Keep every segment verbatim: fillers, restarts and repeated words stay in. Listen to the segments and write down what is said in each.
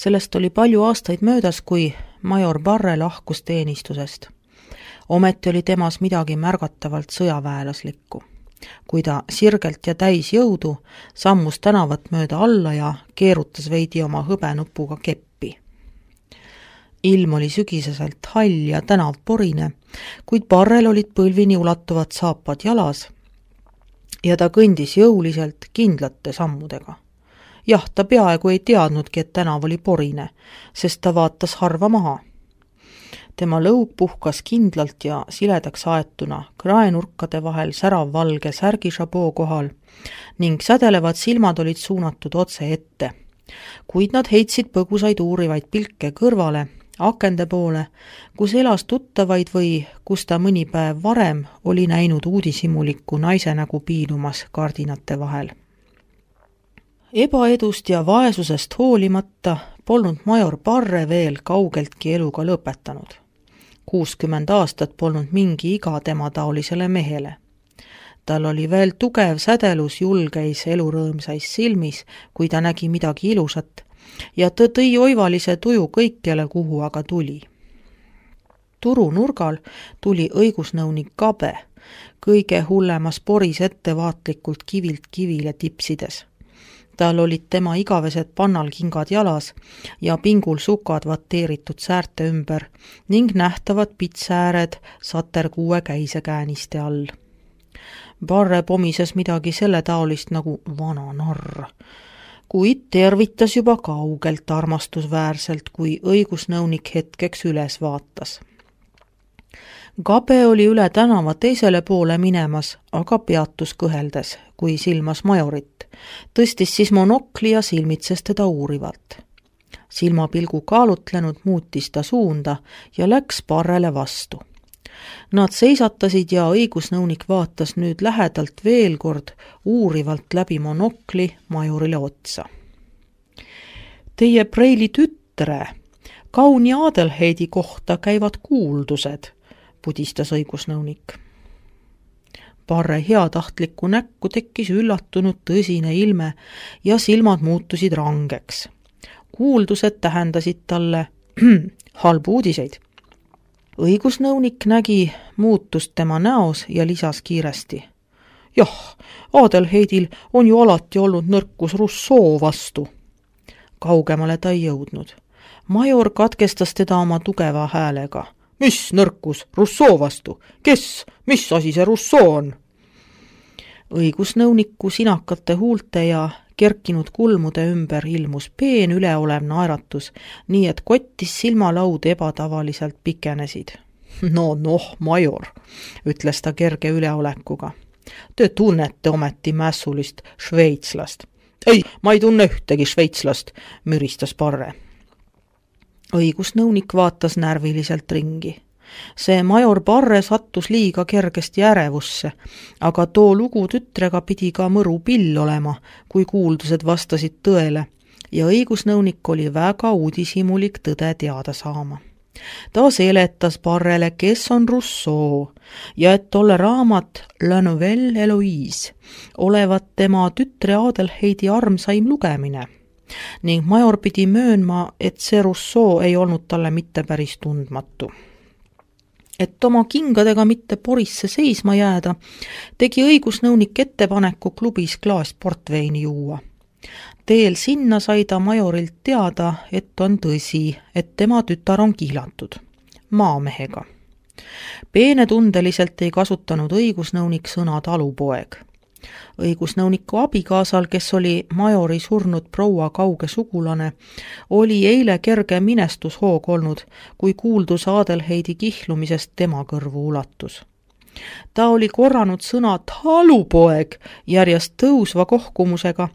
Sellest oli palju aastaid möödas, kui major Barre lahkus teenistusest. Ometi oli temas midagi märgatavalt sõjaväelaslikku. Kui ta sirgelt ja täis jõudu sammus tänavat mööda alla ja keerutas veidi oma hõbenupuga keppi. Ilm oli sügiseselt hall ja tänav porine, kuid Barrel olid põlvini ulatuvad saapad jalas ja ta kõndis jõuliselt kindlate sammudega. Jah, ta peaaegu ei teadnudki, et tänav oli porine, sest ta vaatas harva maha. Tema lõug puhkas kindlalt ja siledaks aetuna kraenurkade vahel särav valge särgišaboo kohal ning sädelevad silmad olid suunatud otse ette, kuid nad heitsid põgusaid uurivaid pilke kõrvale, akende poole, kus elas tuttavaid või kus ta mõni päev varem oli näinud uudishimuliku naise nägu piilumas kardinate vahel. Ebaedust ja vaesusest hoolimata polnud major Barre veel kaugeltki eluga lõpetanud. kuuskümmend aastat polnud mingi iga tema taolisele mehele. Tal oli veel tugev sädelus julgeis elurõõmsais silmis, kui ta nägi midagi ilusat, ja ta tõi oivalise tuju kõikjale, kuhu aga tuli. Turu nurgal tuli õigusnõunik Gabe, kõige hullemas poris ettevaatlikult kivilt kivile tipsides. Tal olid tema igavesed pannalkingad jalas ja pingul sukad vateeritud säärte ümber ning nähtavad pitsääred saterkuue käisekääniste all. Barre pomises midagi selle taolist nagu vana narr, kuid tervitas juba kaugelt armastusväärselt, kui õigusnõunik hetkeks üles vaatas. Gabe oli üle tänava teisele poole minemas, aga peatus kõheldes, kui silmas majorit. Tõstis siis monokli ja silmitses teda uurivalt. Silmapilgu kaalutlenud muutis ta suunda ja läks Barrele vastu. Nad seisatasid ja õigusnõunik vaatas nüüd lähedalt veel kord uurivalt läbi monokli majorile otsa. Teie Preili tütre, kauni Adelheidi kohta käivad kuuldused, pudistas õigusnõunik. Barre heatahtlikku näkku tekkis üllatunud tõsine ilme ja silmad muutusid rangeks. Kuuldused tähendasid talle halbu uudiseid. Õigusnõunik nägi muutust tema näos ja lisas kiiresti. Jah, Adelheidil on ju alati olnud nõrkus Rousseau vastu. Kaugemale ta ei jõudnud. Major katkestas teda oma tugeva häälega. Mis nõrkus Rousseau vastu? Kes? Mis asi see Rousseau on? Õigusnõuniku sinakate huulte ja kerkinud kulmude ümber ilmus peen üleolev naeratus, nii et kottis silmalaud ebatavaliselt pikenesid. No, noh, major, ütles ta kerge üleolekuga. Te tunnete ometi mässulist šveitslast. Ei, ma ei tunne ühtegi šveitslast, müristas Barre. Õigusnõunik vaatas närviliselt ringi. See major Barre sattus liiga kergesti ärevusse, aga too lugu tütrega pidi ka mõru pill olema, kui kuuldused vastasid tõele, ja õigusnõunik oli väga uudishimulik tõde teada saama. Ta seletas Barrele, kes on Rousseau, ja et tolle raamat La Nouvelle Eloise olevat tema tütre Adelheidi armsaim lugemine, ning major pidi möönma, et see Rousseau ei olnud talle mitte päris tundmatu. Et oma kingadega mitte porisse seisma jääda, tegi õigusnõunik ettepaneku klubis klaas portveini juua. Teel sinna sai ta majorilt teada, et on tõsi, et tema tütar on kihlatud maamehega. Peenetundeliselt ei kasutanud õigusnõunik sõna talupoeg. Õigusnõuniku abikaasal, kes oli majori surnud proua kauge sugulane, oli eile kerge minestushoog olnud, kui kuuldus Adelheidi kihlumisest tema kõrvu ulatus. Ta oli korranud sõna talupoeg järjest tõusva kohkumusega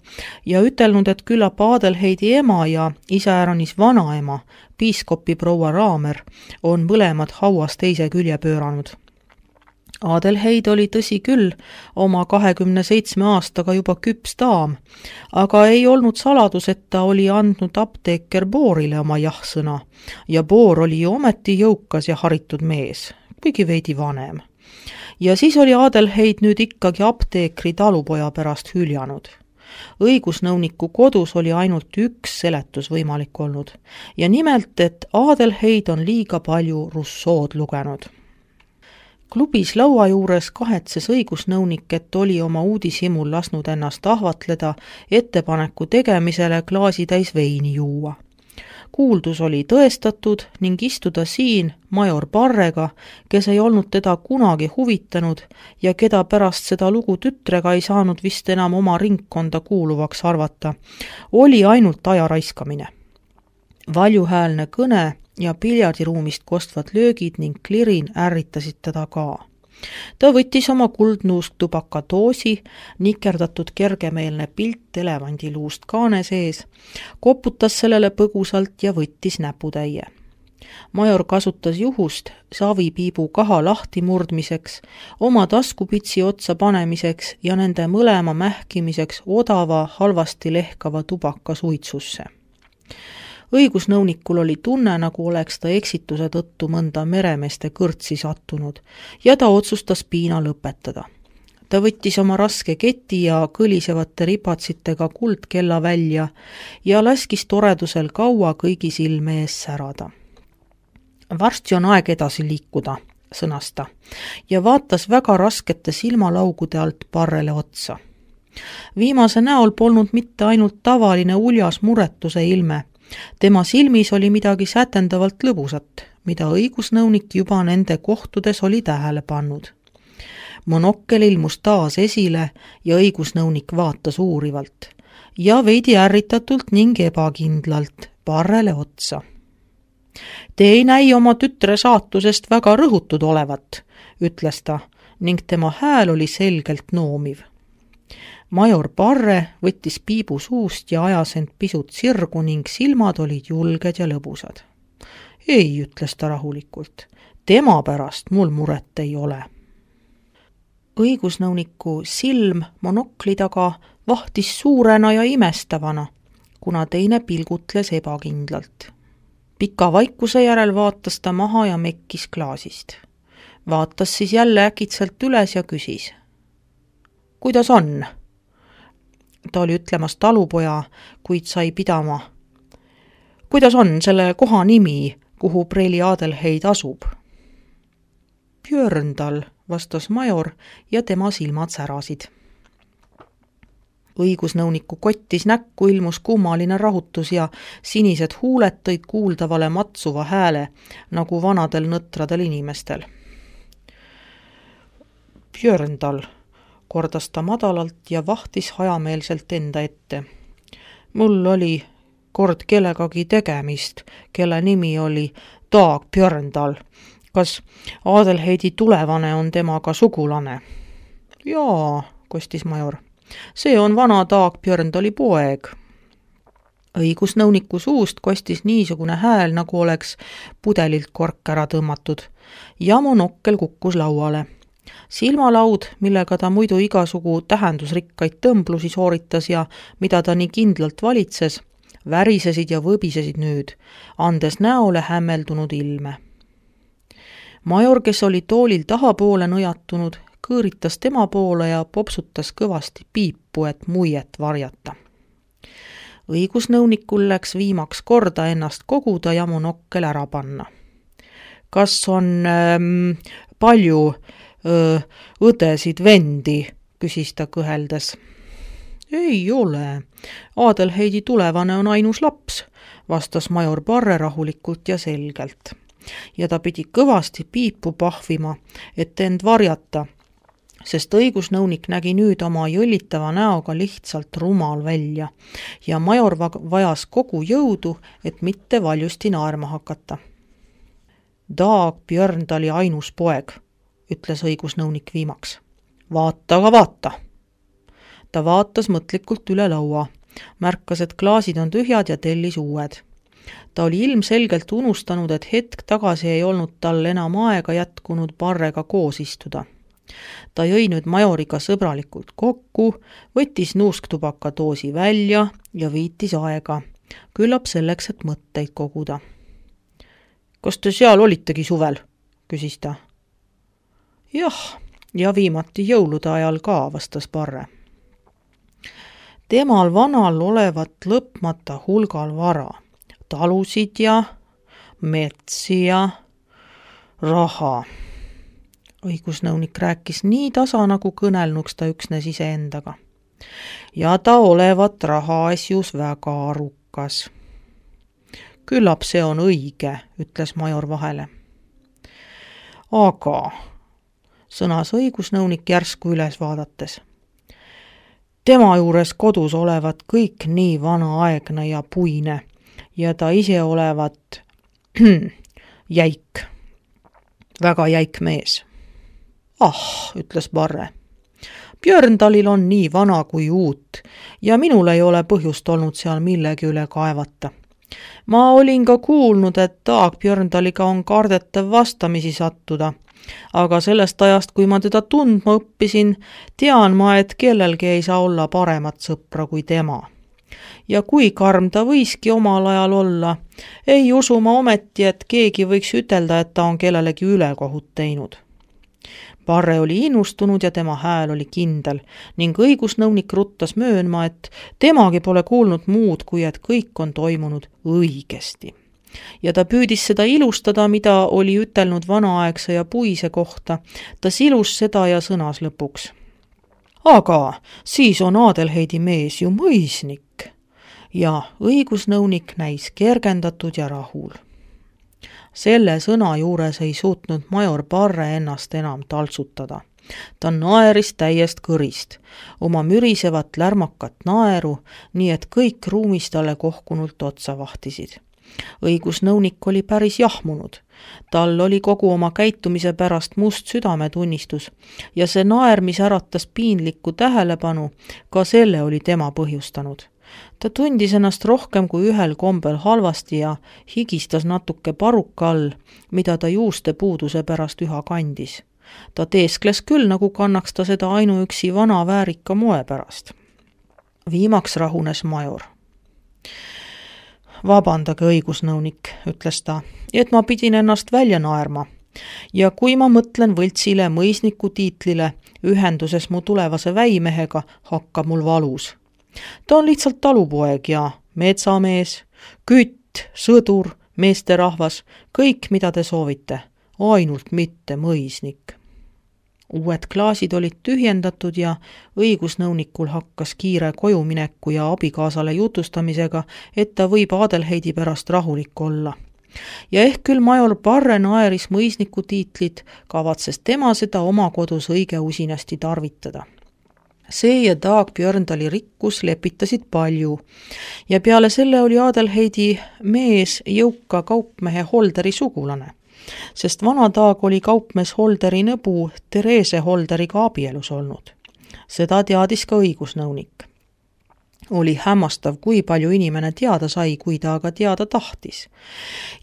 ja ütelnud, et küllap Adelheidi ema ja iseäranis vanaema, piiskopi proua Raamer, on mõlemad hauas teise külje pööranud. Adelheid oli tõsi küll oma kahekümne seitsme aastaga juba küps daam, aga ei olnud saladus, et ta oli andnud apteeker Boorile oma jah-sõna ja Boor oli ju ometi jõukas ja haritud mees, kuigi veidi vanem. Ja siis oli Adelheid nüüd ikkagi apteekri talupoja pärast hüljanud. õigusnõuniku kodus oli ainult üks seletus võimalik olnud ja nimelt, et Adelheid on liiga palju Rousseau'd lugenud. Klubis laua juures kahetses õigusnõunik, et oli oma uudishimul lasnud ennast ahvatleda ettepaneku tegemisele klaasitäis veini juua. Kuuldus oli tõestatud ning istuda siin major Parrega, kes ei olnud teda kunagi huvitanud ja keda pärast seda lugu tütrega ei saanud vist enam oma ringkonda kuuluvaks arvata, oli ainult aja raiskamine. Valjuhäälne kõne ja piljardiruumist kostvad löögid ning klirin ärritasid teda ka. Ta võttis oma kuldnuusktubaka doosi, nikerdatud kergemeelne pilt elevandiluust kaane sees, koputas sellele põgusalt ja võttis näputäie. Major kasutas juhust savipiibu kaha lahti murdmiseks, oma taskupitsi otsa panemiseks ja nende mõlema mähkimiseks odava, halvasti lehkava tubaka suitsusse. Õigusnõunikul oli tunne, nagu oleks ta eksituse tõttu mõnda meremeeste kõrtsi sattunud ja ta otsustas piina lõpetada. Ta võttis oma raske keti ja kõlisevate ripatsitega kuldkella välja ja laskis toredusel kaua kõigi silme ees särada. Varsti on aeg edasi liikuda, sõnas ta, ja vaatas väga raskete silmalaugude alt Parrele otsa. Viimase näol polnud mitte ainult tavaline uljas muretuse ilme, tema silmis oli midagi sätendavalt lõbusat, mida õigusnõunik juba nende kohtudes oli tähele pannud. Monokkel ilmus taas esile ja õigusnõunik vaatas uurivalt ja veidi ärritatult ning ebakindlalt Parrele otsa. Te ei näi oma tütre saatusest väga rõhutud olevat, ütles ta, ning tema hääl oli selgelt noomiv. Major Parre võttis piibu suust ja ajas end pisut sirgu ning silmad olid julged ja lõbusad. Ei, ütles ta rahulikult, tema pärast mul muret ei ole. Õigusnõuniku silm monokli taga vahtis suurena ja imestavana, kuna teine pilgutles ebakindlalt. Pika vaikuse järel vaatas ta maha ja mekkis klaasist. Vaatas siis jälle äkitselt üles ja küsis. Kuidas on? Ta oli ütlemas talupoja, kuid sai pidama. Kuidas on selle koha nimi, kuhu preili Adelheid asub? Björndal, vastas major ja tema silmad särasid. Õigusnõuniku kottis näkku ilmus kummaline rahutus ja sinised huuled tõid kuuldavale matsuva hääle, nagu vanadel nõtradel inimestel. Björndal, kordas ta madalalt ja vahtis hajameelselt enda ette. Mul oli kord kellegagi tegemist, kelle nimi oli Dag Björndal. Kas Adelheidi tulevane on temaga sugulane? Jaa, kostis major. See on vana Dag Björndali poeg. Õigusnõuniku suust kostis niisugune hääl, nagu oleks pudelilt kork ära tõmmatud ja monokkel kukkus lauale. Silmalaud, millega ta muidu igasugu tähendusrikkaid tõmblusi sooritas ja mida ta nii kindlalt valitses, värisesid ja võbisesid nüüd, andes näole hämmeldunud ilme. Major, kes oli toolil tahapoole nõjatunud, kõõritas tema poole ja popsutas kõvasti piipu, et muiet varjata. Õigusnõunikul läks viimaks korda ennast koguda ja monokkel ära panna. Kas on ähm, palju öö, õdesid vendi, küsis ta kõheldes. Ei ole. Adelheidi tulevane on ainus laps, vastas major Parre rahulikult ja selgelt. Ja ta pidi kõvasti piipu pahvima, et end varjata, sest õigusnõunik nägi nüüd oma jõllitava näoga lihtsalt rumal välja ja major vajas kogu jõudu, et mitte valjusti naerma hakata. Dag Björndali ainus poeg, ütles õigusnõunik viimaks. Vaata, aga vaata. Ta vaatas mõtlikult üle laua, märkas, et klaasid on tühjad ja tellis uued. Ta oli ilmselgelt unustanud, et hetk tagasi ei olnud tal enam aega jätkunud Parrega koos istuda. Ta jõi nüüd majoriga sõbralikult kokku, võttis nuusktubaka doosi välja ja viitis aega, küllap selleks, et mõtteid koguda. Kas te seal olitegi suvel? Küsis ta. Jah, ja viimati jõulude ajal ka, vastas Parre. Temal vanal olevat lõpmata hulgal vara, talusid ja metsi ja raha. Õigusnõunik rääkis nii tasa, nagu kõnelnuks ta üksnes iseendaga. Ja ta olevat rahaasjus väga arukas. Küllap see on õige, ütles major vahele. Aga, sõnas õigusnõunik järsku üles vaadates. Tema juures kodus olevat kõik nii vanaaegne ja puine ja ta ise olevat jäik, väga jäik mees. Ah, ütles Barre. Björndalil on nii vana kui uut ja minul ei ole põhjust olnud seal millegi üle kaevata. Ma olin ka kuulnud, et Taag Björndaliga on kardetav vastamisi sattuda, aga sellest ajast, kui ma teda tundma õppisin, tean ma, et kellelgi ei saa olla paremat sõpra kui tema. Ja kui karm ta võiski omal ajal olla, ei usu ma ometi, et keegi võiks ütelda, et ta on kellelegi ülekohut teinud. Barre oli innustunud ja tema hääl oli kindel ning õigusnõunik ruttas möönma, et temagi pole kuulnud muud, kui et kõik on toimunud õigesti. Ja ta püüdis seda ilustada, mida oli ütelnud vanaaegse ja puise kohta. Ta silus seda ja sõnas lõpuks. Aga siis on Adelheidi mees ju mõisnik. Ja õigusnõunik näis kergendatud ja rahul. Selle sõna juures ei suutnud major Barre ennast enam taltsutada. Ta naeris täiest kõrist, oma mürisevat lärmakat naeru, nii et kõik ruumis talle kohkunult otsa vahtisid. Õigusnõunik oli päris jahmunud. Tal oli kogu oma käitumise pärast must südametunnistus ja see naer, mis äratas piinlikku tähelepanu, ka selle oli tema põhjustanud. Ta tundis ennast rohkem kui ühel kombel halvasti ja higistas natuke paruka all, mida ta juuste puuduse pärast üha kandis. Ta teeskles küll, nagu kannaks ta seda ainuüksi vana väärika moe pärast. Viimaks rahunes major. Vabandage, õigusnõunik, ütles ta, et ma pidin ennast välja naerma. Ja kui ma mõtlen võltsile mõisniku tiitlile ühenduses mu tulevase väimehega, hakkab mul valus. Ta on lihtsalt talupoeg ja metsamees, kütt, sõdur, meesterahvas, kõik, mida te soovite, ainult mitte mõisnik. Uued klaasid olid tühjendatud ja õigusnõunikul hakkas kiire kojumineku ja abikaasale jutustamisega, et ta võib Adelheidi pärast rahulik olla. Ja ehk küll major Barre naeris mõisniku tiitlit, kavatses tema seda oma kodus õige usinasti tarvitada. See ja Taag Björndali rikkus lepitasid palju ja peale selle oli Adelheidi mees jõuka kaupmehe Holderi sugulane, sest vana Taag oli kaupmees Holderi nõbu Therese Holderiga abielus olnud. Seda teadis ka õigusnõunik. Oli hämmastav, kui palju inimene teada sai, kui ta aga teada tahtis.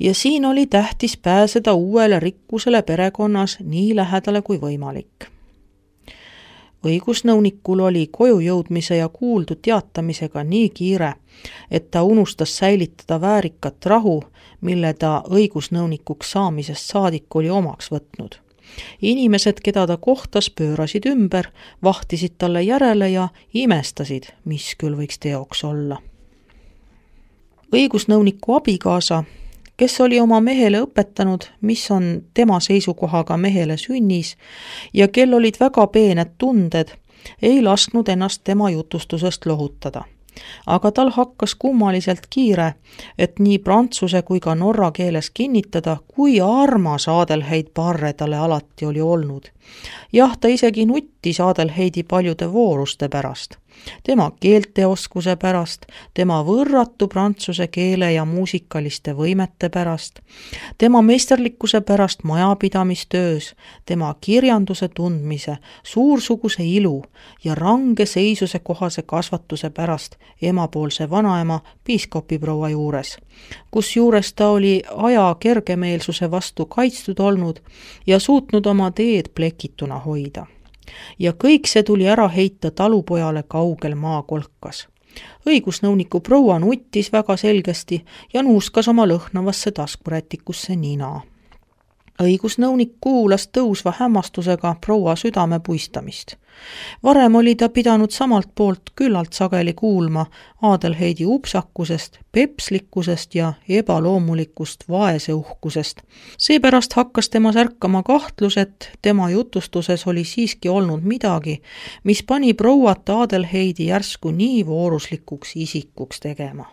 Ja siin oli tähtis pääseda uuele rikkusele perekonnas nii lähedale kui võimalik. Õigusnõunikul oli koju jõudmise ja kuuldu teatamisega nii kiire, et ta unustas säilitada väärikat rahu, mille ta õigusnõunikuks saamisest saadik oli omaks võtnud. Inimesed, keda ta kohtas, pöörasid ümber, vahtisid talle järele ja imestasid, mis küll võiks teoks olla. Õigusnõuniku abikaasa, kes oli oma mehele õpetanud, mis on tema seisukohaga mehele sünnis ja kel olid väga peened tunded, ei lasknud ennast tema jutustusest lohutada. Aga tal hakkas kummaliselt kiire, et nii prantsuse kui ka norra keeles kinnitada, kui armas Adelheid Barre talle alati oli olnud. Jah, ta isegi nuttis Adelheidi paljude vooruste pärast, tema keelteoskuse pärast, tema võrratu prantsuse keele ja muusikaliste võimete pärast, tema meisterlikkuse pärast majapidamistöös, tema kirjanduse tundmise, suursuguse ilu ja range seisuse kohase kasvatuse pärast emapoolse vanaema piiskopiproua juures, kus juures ta oli aja kergemeelsuse vastu kaitstud olnud ja suutnud oma teed plekituna hoida. Ja kõik see tuli ära heita talupojale kaugel maakolkas. Õigusnõuniku proua nuttis väga selgesti ja nuuskas oma lõhnavasse taskurätikusse nina. õigusnõunik kuulas tõusva hämmastusega proua südame puistamist. Varem oli ta pidanud samalt poolt küllalt sageli kuulma Adelheidi upsakusest, pepslikkusest ja ebaloomulikust vaeseuhkusest. Seepärast hakkas tema särkama kahtlus, et tema jutustuses oli siiski olnud midagi, mis pani prouat Adelheidi järsku nii vooruslikuks isikuks tegema.